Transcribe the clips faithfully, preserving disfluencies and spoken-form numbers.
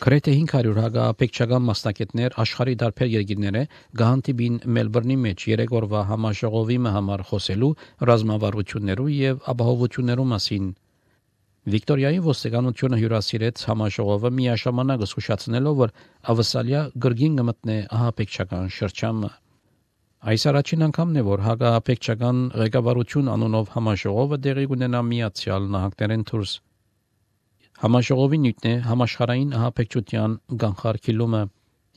Գրեթե հինգ հարյուր հակաապեկչական մասնակիցներ աշխարհի տարբեր երկրները գահանտիբին Մելբուրնի մեջ երեք օրվա համաժողովի համար խոսելու ռազմավարություններու եւ ապահովություններու մասին։ Վիկտորիայի ոստիկանությունը հյուրասիրեց համաժողովը միաժամանակ զսկուշացնելով, որ ավսալիա գրգին կմտնե ահապեկչական շրջանը։ Այս առաջին անգամն է, որ հակաապեկչական ղեկավարություն անունով համաժողովը տեղի կունենա Միացյալ Նահանգներեն դուրս։ Համաժողովի նյութն է համաշխարհային ահապեկչության կանխարգելումը։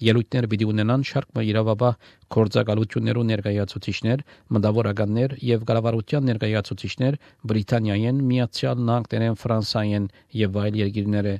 Ելույթներ պիտի ունենան շարք իրավաբար գործակալություններու ներկայացուցիչներ, մտավորականներ եւ կառավարության ներկայացուցիչներ Բրիտանիայեն, Միացյալ Նահանգներեն, Ֆրանսիայեն եւ այլ երկրները։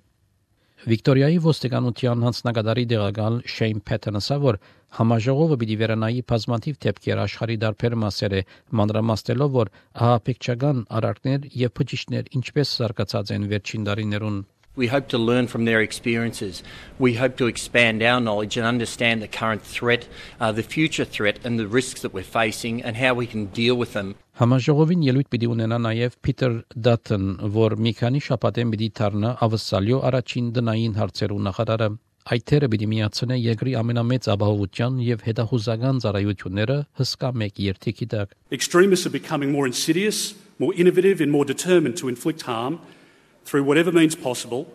Վիկտորիայի ոստիկանության հանձնագետարի դեղակալ Շեյն Փեթենը ասա, որ համաժողովը պիտի վերանայի բազմաթիվ դեպքեր աշխարհի տարբեր մասերը, մանրամասնելով, որ ահապեկչական արարքներ եւ փչիչներ ինչպես զարգացած են վերջին տարիներուն։ We hope to learn from their experiences. We hope to expand our knowledge and understand the current threat, uh, the future threat and the risks that we're facing and how we can deal with them. Համաժողովին ելույթ պիտի ունենա նաև Փիթեր Դաթն, որ մի քանի շաբաթեն պիտի դառնա ավսալյո առաջին դնային հարցերու նախարարը։ Այդ թերը պիտի միացնե երկրի ամենամեծ ապահովության եւ հետախուզական ծառայությունները հսկա մեկ երթիքի տակ։ Extremists are becoming more insidious, more innovative and more determined to inflict harm through whatever means possible,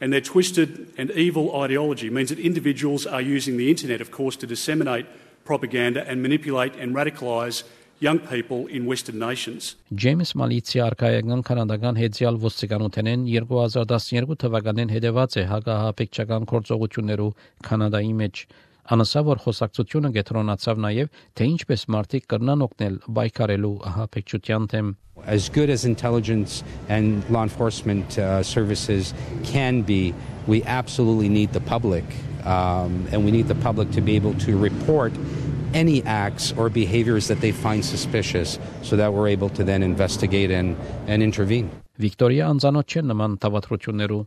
and their twisted and evil ideology means that individuals are using the internet, of course, to disseminate propaganda and manipulate and radicalise young people in Western nations. Ջեյմս Մալիցի արքայական կանադական հեծյալ ոստիկանութենեն երկու հազար տասներկու թվականին հետևած է հակահապեկչական գործողություններու Կանադայի մեջ։ Անասա, որ խոսակցությունը կենտրոնացավ նաև, թե ինչպես մարդիկ կրնան օգնել բայկարելու ահապեկչության թեմ։ As good as intelligence and law enforcement uh, services can be, we absolutely need the public, um, and we need the public to be able to report any acts or behaviors that they find suspicious so that we're able to then investigate and, and intervene. Վիկտորիա անձանոթ չէ նման թավատրություններու։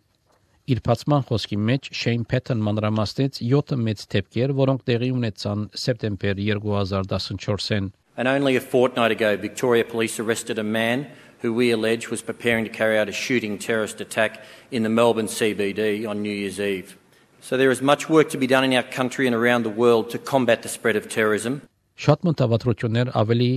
Իր բացման խոսքի մեջ Շեյն Փեթեն մանրամասնեց յոթ մեծ դեպքեր, որոնք տեղի ունեցան սեպտեմբեր երկու հազար տասնչորսին։ And only a fortnight ago, Victoria Police arrested a man who we allege was preparing to carry out a shooting terrorist attack in the Melbourne C B D on New Year's Eve. So there is much work to be done in our country and around the world to combat the spread of terrorism. Շատ մտավատրություններ ավելի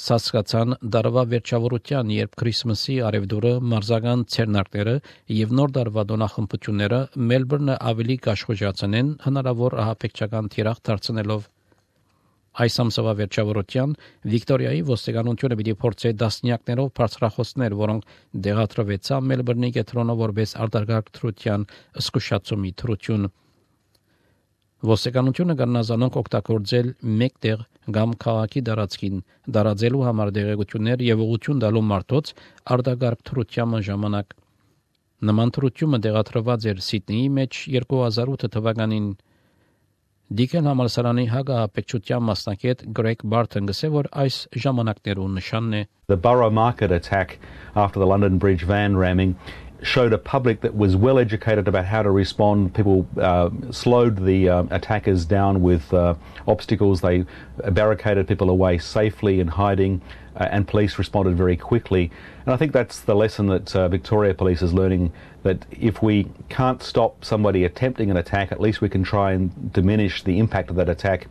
սասկացան դարվա վերջավորության, երբ Քրիսմասի արևդուրը, մարզական ցերնակները եւ նոր դարվա դոնախմբությունները Մելբուրնը ավելի կաշխուժացնեն հնարավոր ահապեկչական թիրախ դարձնելով։ Այս ամսվա վերջավորության Վիկտորիայի ոստիկանությունը պիտի փորձի դասնյակներով բարձրախոսներ, որոնք դեղատրվեցան Մելբուրնի կենտրոնը որպես արտարգակ թրության զսկուշացումի թրություն։ Ոստիկանությունը կառնազանոնք օգտագործել մեկտեղ կամ քաղաքի դարածքին դարաձելու համար դեղեցություններ եւ ուղղություն տալու մարդոց արտարգակ թրության ժամանակ։ Նման թրությունը դեղատրված էր Սիդնեի մեջ երկու հազար ութ թվականին։ Դիկեն համալսարանի հակահապեկչության մասնակից Գրեգ Բարթեն գսե, որ այս ժամանակներուն նշանն է։ The Borough Market attack after the London Bridge van ramming showed a public that was well educated about how to respond. People uh, slowed the uh, attackers down with uh, obstacles. They barricaded people away safely in hiding, uh, and police responded very quickly. And I think that's the lesson that uh, Victoria Police is learning, that if we can't stop somebody attempting an attack, at least we can try and diminish the impact of that attack.